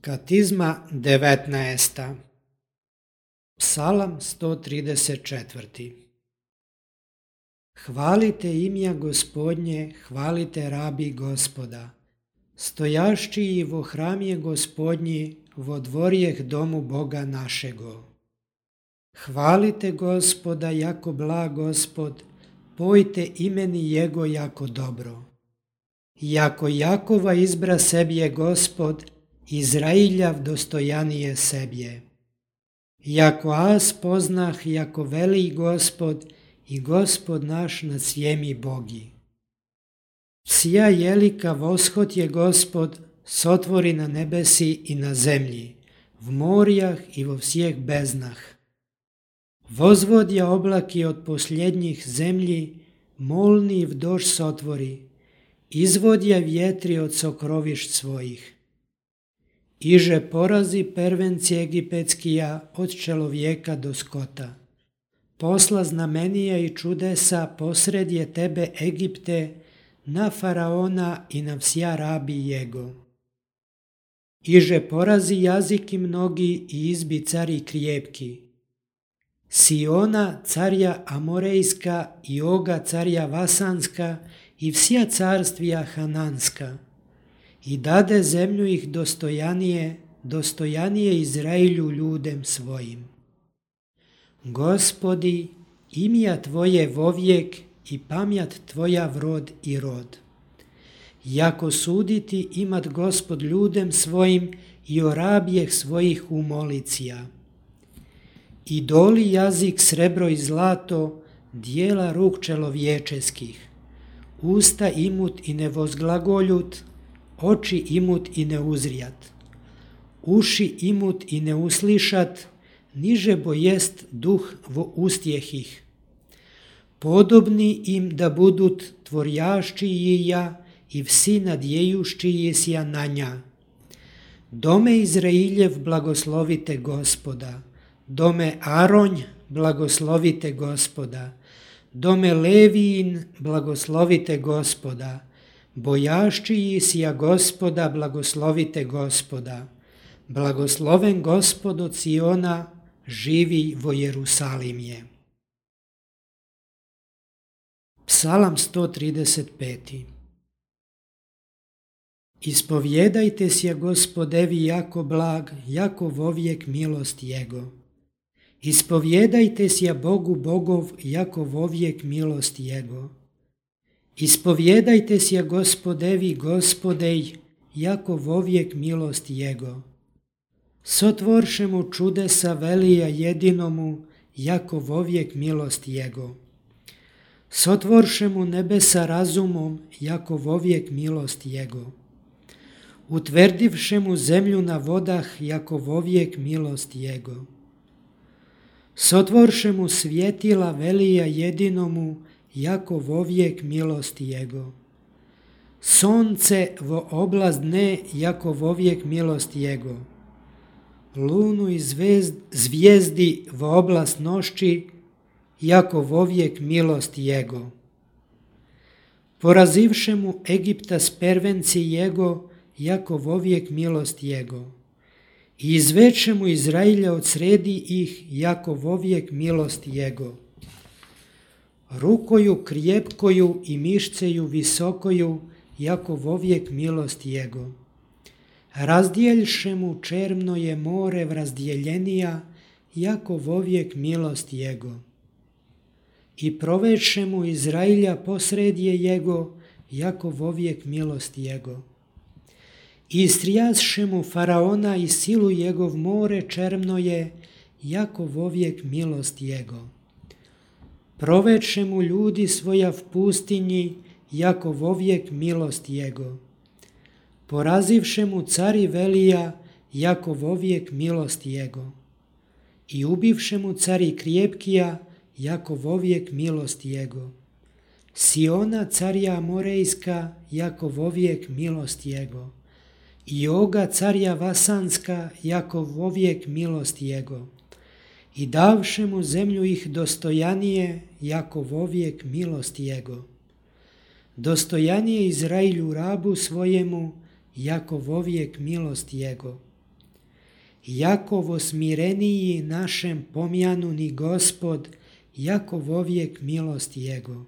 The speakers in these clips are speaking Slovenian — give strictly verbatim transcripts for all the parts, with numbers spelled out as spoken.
Katizma devetnaesta. Psalam sto trideset četvrti. Hvalite imja Gospodnje, hvalite rabi Gospoda. Stojašći vo hramje Gospodnji, vo dvorjeh domu Boga našego. Hvalite Gospoda, jako blag Gospod, pojte imeni Jego jako dobro. Jako Jakova izbra sebje Gospod, Izrailjav dostojanije sebje. Jako as poznah, jako veli Gospod, i Gospod naš nad svjemi bogi. Sja jelika voshod je Gospod, sotvori na nebesi i na zemlji, v morjah i vo vsjeh beznah. Vozvodja oblaki od posljednjih zemlji, molni vdož sotvori, izvodja vjetri od sokrovišt svojih. Iže porazi pervenci egipetskija od čelovjeka do skota. Posla znamenija i čudesa posred je tebe Egipte, na faraona i na vsja rabi jego. Iže porazi jaziki mnogi i izbi cari krijepki. Siona carja Amorejska i Oga carja Vasanska i vsja carstvija Hananska. I dade zemlju ih dostojanije, dostojanije Izrailju ljudem svojim. Gospodi, imja Tvoje vovijek i pamjat Tvoja vrod i rod. Jako suditi imat Gospod ljudem svojim i o rabjeh svojih umolicija. I doli jazik srebro i zlato, dijela ruk čelovječeskih. Usta imut i ne vozglagoljut, oči imut i ne uzrijat. Uši imut i ne uslišat, niže bo jest duh vo ustjehih. Podobni im da budut tvorjaščiji ja i vsi nadjejuščiji sja na nja. Dome Izrailjev blagoslovite Gospoda, dome Aronj blagoslovite Gospoda, dome Levijin blagoslovite Gospoda, bojaščiji sja Gospoda blagoslovite Gospoda, blagosloven Gospod od Siona, živi vo Jerusalimje. Psalam sto trideset peti. Ispovjedajte sja Gospodevi jako blag, jako vovijek milost Jego. Ispovjedajte sja Bogu Bogov, jako vovijek milost Jego. Ispovjedajte sja Gospodevi Gospodej, jako vovijek milost Jego. Sotvorše mu čudesa velija jedinomu, jako vovijek milost Jego. Sotvorše mu nebesa razumom, jako vovijek milost Jego. Utvrdivše mu zemlju na vodah, jako vovijek milost Jego. Sotvorše mu svjetila velija jedinomu, jako vovijek milost Jego. Sonce vo oblast dne, jako vovijek milost Jego. Lunu i zvezd, zvijezdi vo oblast nošći, jako vovijek milost Jego. Porazivše mu Egipta s pervenci Jego, jako vovijek milost Jego. I izveče mu Izrailja od sredi ih, jako vovijek milost Jego. Rukoju krijepkoju i mišceju visokoju, jako vovijek milost Jego. Razdjeljše mu čermno je more vrazdjeljenija, jako vovijek milost Jego. I proveše mu Izrailja posredje Jego, jako vovijek milost Jego. I istrijasše mu faraona i silu Jegov more čermno je, jako vovijek milost Jego. Proveče mu ljudi svoja v pustinji, jako vovijek milost Jego. Porazivše mu cari velija, jako vovijek milost Jego. I ubivše mu cari krijepkija, jako vovijek milost Jego. Siona carja Amorejska, jako vovijek milost Jego. I Oga carja Vasanska, jako vovijek milost Jego. I davše mu zemlju ih dostojanije, jako vovijek milost Jego. Dostojanije Izrailju rabu svojemu, jako vovijek milost Jego. Jakovo smireniji našem pomjanuni Gospod, jako vovijek milost Jego.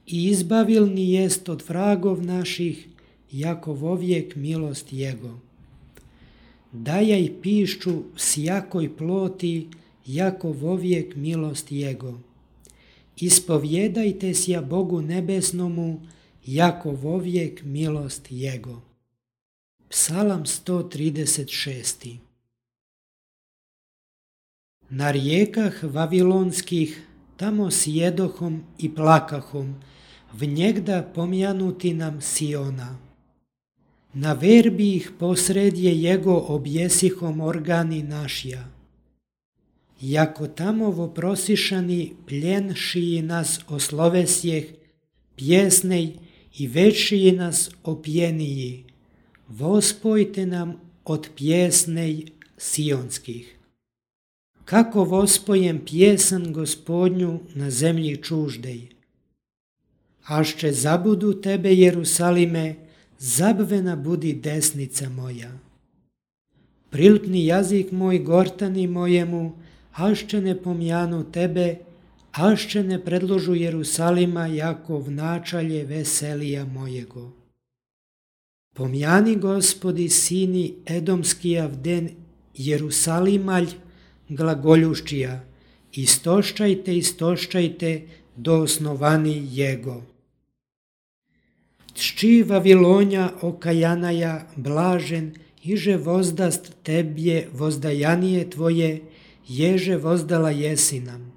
I izbavilni jest od vragov naših, jako vovijek milost Jego. Dajaj pišću sjakoj ploti, jako vovijek milost Jego. Ispovjedajte sja Bogu nebesnomu, jako vovijek milost Jego. Psalam sto trideset šest. Na rijekah vavilonskih tamo sjedohom i plakahom, vnjegda pomjanuti nam Siona. Na verbi ih posredje Jego objesihom organi našja. Jako tamo voprosišani pljenšiji nas oslovesjeh, pjesnej i večiji nas opjeniji, vospojte nam od pjesnej sionskih. Kako vospojem pjesan Gospodnju na zemlji čuždej. Ašće zabudu tebe, Jerusalime, zabvena budi desnica moja. Prilpni jazik moj gortani mojemu, ašće ne pomjanu tebe, ašće ne predložu Jerusalima jako vnačalje veselija mojego. Pomjani Gospodi sini Edomskija vden Jerusalimalj glagoljuščija, istoščajte, istoščajte do osnovani Jego. Tšči Vavilonja okajanaja blažen, iže vozdast tebje vozdajanije tvoje, ježe vozdala jesi nam.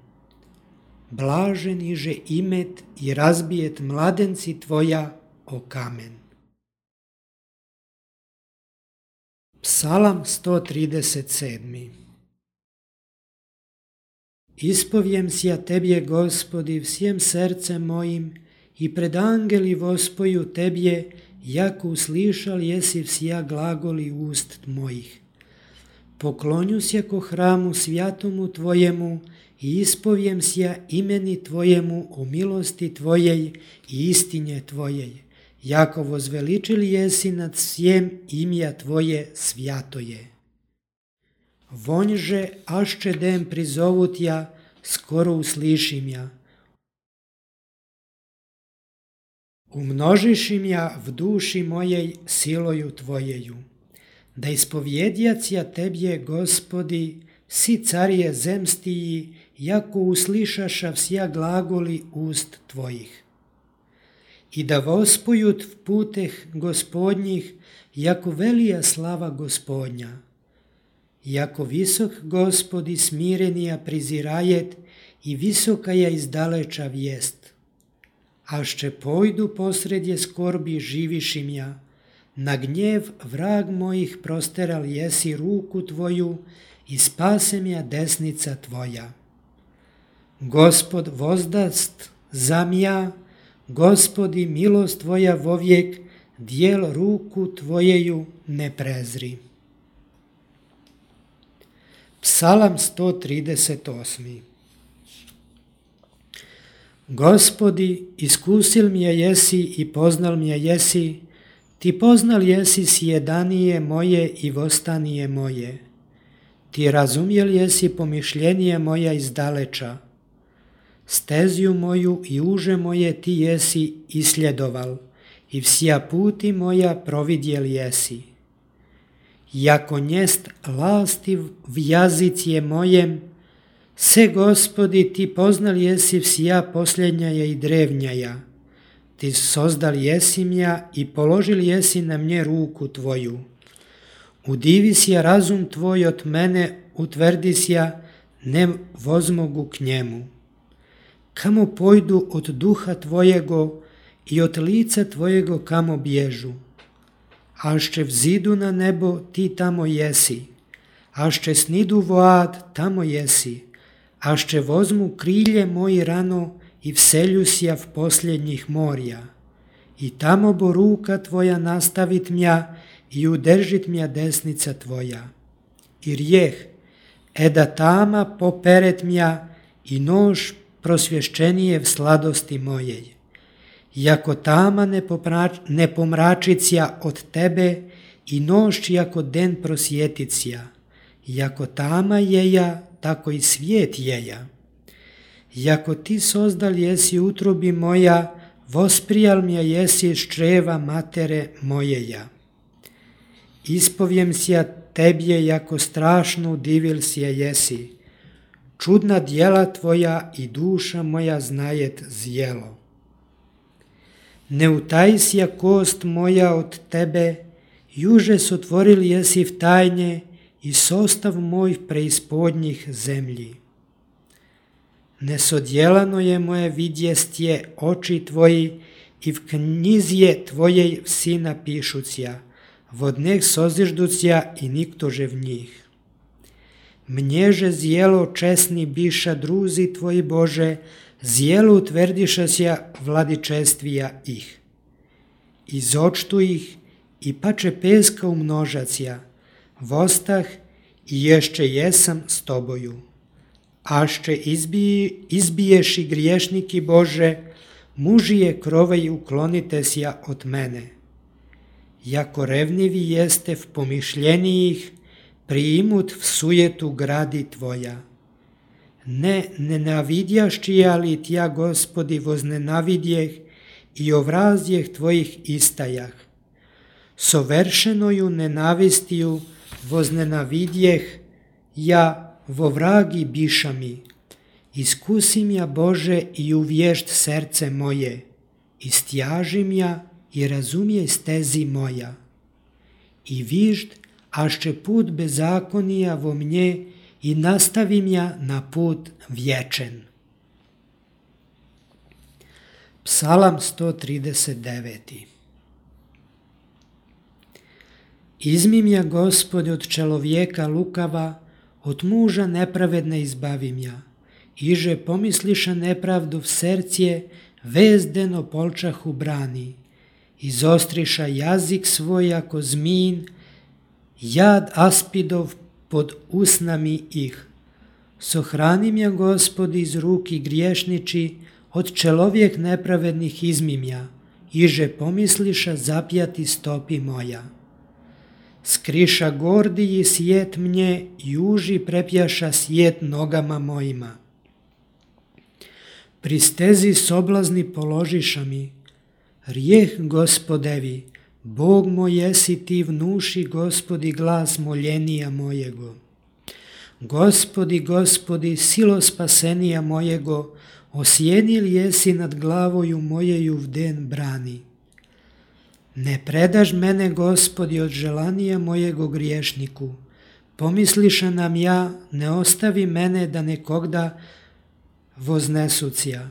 Blažen iže imet i razbijet mladenci tvoja o kamen. Psalam sto trideset sedam. Ispovjem sja tebje, Gospodi, vsjem srcem mojim i pred angeli vospoju tebje, jako uslišal jesi vsja glagoli ust mojih. Poklonju sja ko hramu svjatomu tvojemu i ispovjem sja imeni tvojemu o milosti tvojej i istinje tvojej. Jako vozveličili jesi nad svjem imja tvoje svjatoje. Vonjže ašće dem prizovut ja, skoro uslišim ja. Umnožišim ja v duši mojej siloju tvojeju. Da ispovjedjac ja tebje, Gospodi, si carije zemstiji, jako uslišaša vsja glagoli ust tvojih. I da vospojut v puteh Gospodnjih, jako velija slava Gospodnja. Jako visok Gospodi smirenija prizirajet i visokaja izdaleča vijest. Ašće pojdu posredje skorbi živišim ja, na gnjev vrag mojih prosteral jesi ruku tvoju i spasem ja desnica tvoja. Gospod vozdast zamja, Gospodi milost tvoja vovijek, dijel ruku tvojeju ne prezri. Psalam sto trideset osam. Gospodi, iskusil mi je jesi i poznal mi je jesi, ti poznal jesi sjedanije moje i vostanije moje. Ti razumjel jesi pomišljenije moja izdaleča. Steziju moju i uže moje ti jesi isljedoval i vsja puti moja providjel jesi. Jako njest lastiv v jazicije mojem, se Gospodi ti poznal jesi vsja posljednjaja i drevnjaja. Ti sozdal jesi mja i položil jesi na mnje ruku tvoju. Udivi sja razum tvoj od mene, utvrdi sja, ne vozmogu k njemu. Kamo pojdu od duha tvojego i od lica tvojego kamo bježu. Ašće vzidu na nebo, ti tamo jesi. Ašće snidu vo ad, tamo jesi. Ašće vozmu krilje moji rano i vselju sja v posljednjih morja. I tamo bo ruka tvoja nastavit mja i udržit mja desnica tvoja. I rijeh, eda tama poperet mja i nož prosvješćenije v sladosti mojej. Jako tama ne, poprač, ne pomračicija od tebe i noć jako den prosjeticija. jako tama jeja, tako i svijet jeja. Jako ti sozdal jesi utrobi moja, vosprijal mja jesi iz čreva matere mojeja. Ispovjem sja tebje, jako strašno udivil sja jesi. Čudna djela tvoja i duša moja znajet zjelo. Ne utajsja kost moja od tebe, juže sotvoril jesi v tajnje i sostav moj preispodnjih zemlji. Nesodjelano je moje vidjestje oči tvoji i v knjizje tvojej vsi napišucija, vodneh sozižducija i niktože v njih. Mnježe zjelo česni biša druzi tvoji Bože, zjelo utverdiša sja vladičestvija ih. Izočtu ih i pače peska umnožacija, vostah i ješće jesam s toboju. Ašće izbij, izbiješ i griješniki Bože, mužije krovej uklonite sja od mene. Jako revnivi jeste v pomišljenijih, priimut v sujetu gradi tvoja. Ne nenavidjašći, ali tja, Gospodi, voznenavidjeh i ovrazdjeh tvojih istajah. Soveršenoju nenavistiju voznenavidjeh, ja vo vragi biša mi. Iskusim ja, Bože, i uvješt srce moje, istjažim ja i razumijej stezi moja. I vižd, ašće put bezakonija vo mnje i nastavim ja na put vječen. Psalam sto trideset devet. Izmim ja, Gospodi, od čelovjeka lukava, od muža nepravedne izbavim ja. Iže pomisliša nepravdu v sercije, vezdeno polčahu brani. Izostriša jazik svoj ako zmin, jad aspidov pod usnami ih. Sohranim ja, Gospodi, iz ruki griješniči, od čelovjek nepravednih izmim ja. Iže pomisliša zapjati stopi moja. Skriša gordiji sjet mnje, juži prepjaša sjet nogama mojima. Pri stezi soblazni položiša mi, rijeh Gospodevi, Bog moj jesi ti, vnuši, Gospodi, glas moljenija mojego. Gospodi, Gospodi, silo spasenija mojego, osjenil jesi nad glavoju mojeju v den brani. Ne predaš mene, Gospodi, od želanija mojego griješniku. Pomisliša nam ja, ne ostavi mene da nekogda voznesucija.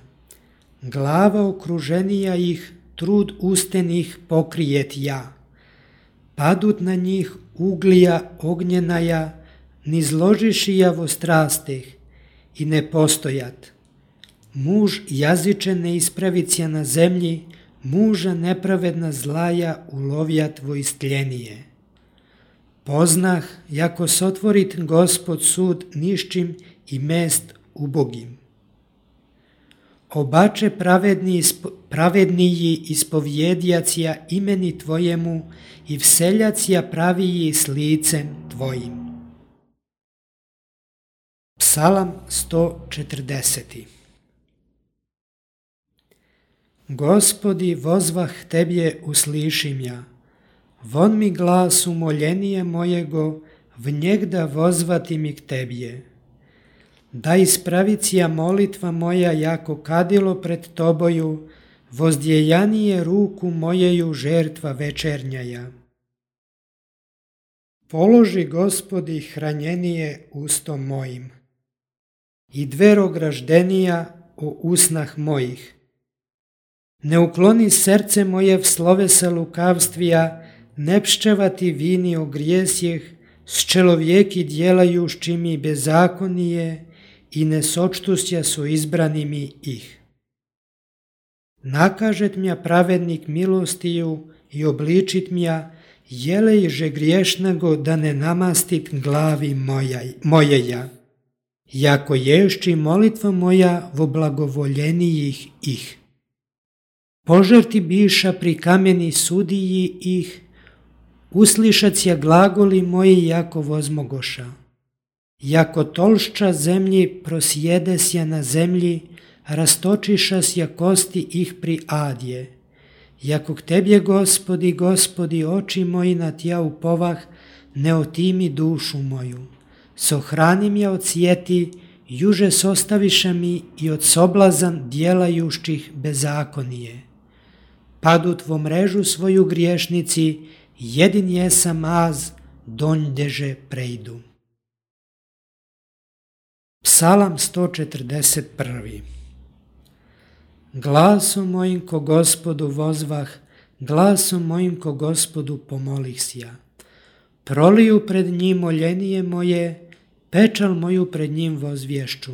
Glava okruženija ih, trud ustenih pokrijet ja. Padut na njih uglija ognjenaja, ni zložiši ja vo strasteh i ne postojat. Muž jaziče ne ispravicija na zemlji, muža nepravedna zlaja ulovjat vo istljenije. Poznah, jako sotvorit Gospod sud niščim i mest ubogim. Obače pravedni, pravedniji ispovjedjacija imeni tvojemu i vseljacija praviji s licem tvojim. Psalam sto četrdeset. Gospodi, vozvah tebje uslišim ja. Von mi glas umoljenije mojego, v njegda vozvati mi k tebje. Da ispravicija molitva moja jako kadilo pred toboju, vozdjejanije ruku mojeju žertva večernjaja. Položi, Gospodi, hranjenije ustom mojim i dvero graždenija o usnah mojih. Ne ukloni srce moje v slovesa lukavstvija, ne pščevati vini o grijesjeh, s čelovjeki djelajušći mi bezakonije i ne sočtusja su izbranimi ih. Nakažet mja pravednik milostiju i obličit mja, jelejže griješnego da ne namastit glavi moja, mojeja, jako ješći molitva moja vo blagovoljenijih ih. Požerti biša pri kameni sudiji ih, uslišacija glagoli moji jako vozmogoša. jako tolšča zemlji prosjedesja na zemlji, rastočišasja kosti ih pri adje. Jako k Tebje, Gospodi, Gospodi, oči moji na Tja upovah, ne otimi dušu moju. Sohranim ja od sjeti, juže sostaviša mi i od soblazan djelajušćih bezakonije. Padu tvo mrežu svoju griješnici, jedin jesam az, donjdeže prejdu. Psalam sto četrdeset prvi. Glasom mojim ko Gospodu vozvah, glasom mojim ko Gospodu pomolih sja. Proliju pred njim moljenije moje, pečal moju pred njim vozvješću.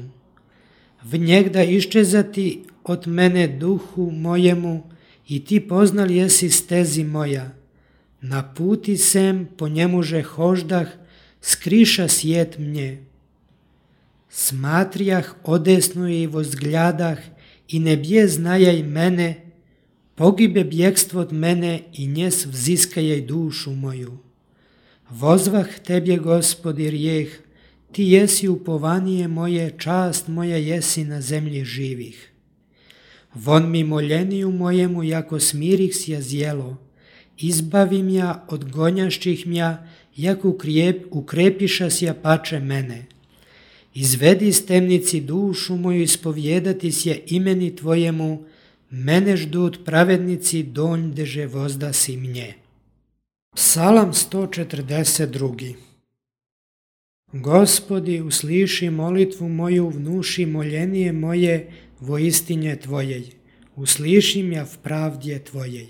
V njegda iščezati od mene duhu mojemu, i ti poznal jesi stezi moja. Na puti sem po njemuže hoždah, skriša sjet mnje. Smatrijah odesno i vozgljadah, i ne bje znajaj mene, pogibe bjekstvo od mene i njes vziskajaj dušu moju. Vozvah Tebje, Gospodi, rijeh, Ti jesi upovanije moje, čast moja jesi na zemlji živih. Von mi moljeniju mojemu, jako smirih sja zjelo, izbavim ja od gonjašćih mja, jako ukrijep, ukrepiša sja pače mene. Izvedi iz temnici dušu moju, ispovjedati sje imeni Tvojemu, mene ždut pravednici, donjdeže vozdasi mnje. Psalam sto četrdeset drugi. Gospodi, usliši molitvu moju, vnuši moljenije moje vo istinje Tvojej, uslišim ja v pravdje Tvojej.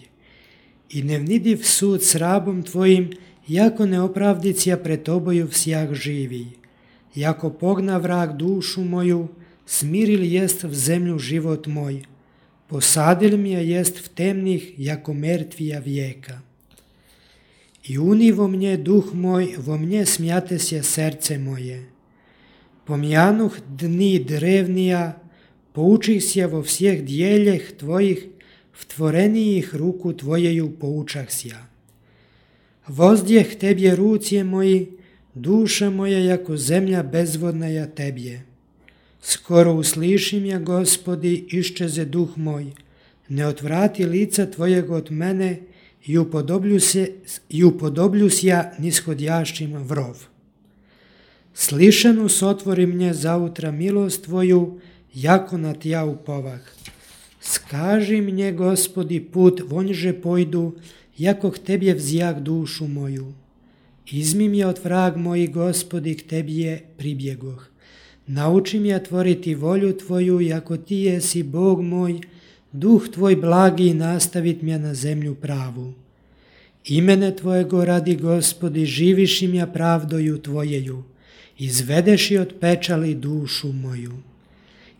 I ne vnidiv sud s rabom Tvojim, jako neopravdicija pred Toboju vsjah živi. Jako pogna vrag dušu moju, smiril jest v zemlju život moj, posadil mi je jest v temnih, jako mrtvija vijeka. I uni vo mnje duh moj, vo mnje smjate sje srce moje. Pomjanuh dni drevnija, poučih sje vo vsjeh djeljeh Tvojih, v tvorenijih ruku Tvojeju poučah sja. Vozdjeh Tebje rucije moji, duša moja jako zemlja bezvodna ja Tebje. Skoro uslišim ja, Gospodi, iščeze duh moj, ne otvrati lica Tvojeg od mene i upodoblju, se, i upodoblju sja nishodjašćim vrov. Slišanu sotvori mnje zautra milost Tvoju, jako na Tja upovah. Skaži mnje, Gospodi, put vonjže pojdu, jako k Tebje vzjak dušu moju. Izmi mi od vrag moji, Gospodi, k Tebje pribjegoh. Nauči mi ja tvoriti volju Tvoju, jako Ti jesi Bog moj, duh Tvoj blagi nastavit mja na zemlju pravu. Imene Tvojego radi, Gospodi, živiš im ja pravdoju Tvojeju, izvedeši od pečali dušu moju.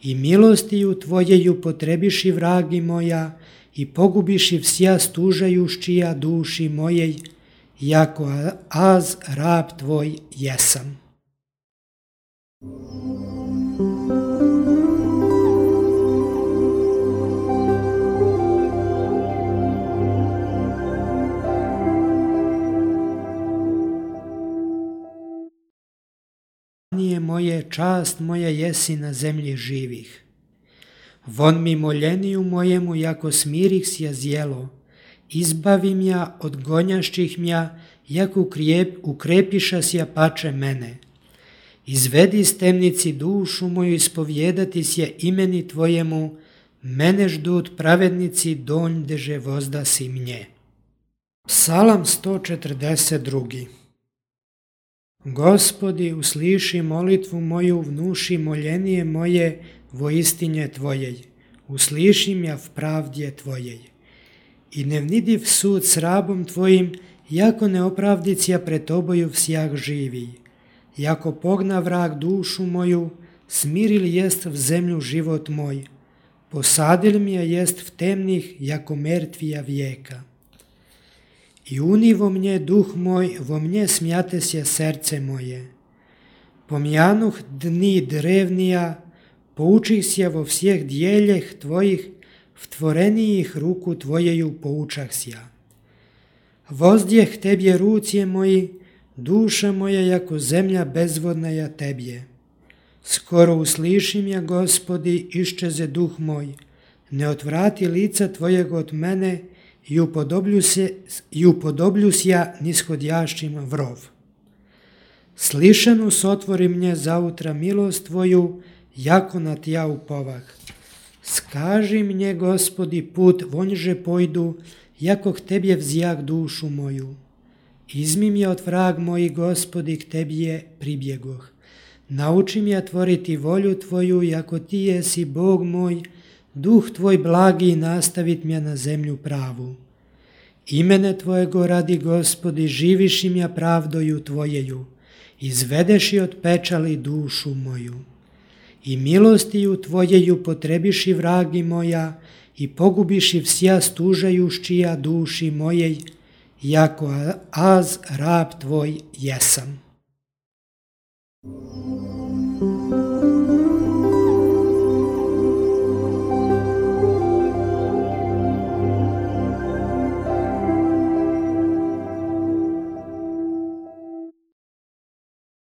I milostiju Tvojeju potrebiši vragi moja, i pogubiši vsja stužajušćija duši mojej, jako az rab Tvoj jesam. Moje, čast moja jesi na zemlji živih. Von mi moljeniju mojemu, jako smirih sja zjelo, izbavim ja od gonjašćih mja, jako ukrijep, ukrepiša sja pače mene. Izvedi iz temnici dušu moju, ispovjedati sje imeni Tvojemu, mene ždut pravednici, donjdeže vozdasi mnje. Psalam sto četrdeset drugi. Gospodi, usliši molitvu moju, vnuši moljenije moje vo istinje Tvojej, uslišim ja v pravdje Tvojej. I ne vnidiv sud s rabom Tvojim, jako neopravdicija pred Toboju vsjah živi. Jako pogna vrag dušu moju, smiril jest v zemlju život moj, posadil mi je jest v temnih, jako mrtvija vijeka. I uni vo mnje duh moj, vo mnje smjate sje srce moje. Pomjanuh dni drevnija, poučih sje vo vsjeh djeljeh Tvojih, v tvorenijih ruku Tvojeju poučah sja. Vozdjeh Tebje rucije moji, Duša moja jako zemlja bezvodna ja Tebje. Skoro uslišim ja, Gospodi, iščeze duh moj. Ne otvrati lica Tvojeg od mene i upodoblju se, i upodoblju ja nishodjašćim vrov. Slišanu sotvori mnje zautra milost Tvoju, jako na Tja upovah. Skaži mnje, Gospodi, put vonjže pojdu, jako k Tebje vzjak dušu moju. Izmi mje od vrag moji, Gospodi, k Tebje pribjegoh. Nauči mje tvoriti volju Tvoju, jako Ti jesi Bog moj, duh Tvoj blagi nastavit mje na zemlju pravu. Imene Tvojego radi, Gospodi, živiš mja pravdoju Tvojeju, izvedeši od pečali dušu moju. I milostiju Tvojeju potrebiši vragi moja i pogubiši vsja stužajušćija duši mojej, jako az rab Tvoj jesam.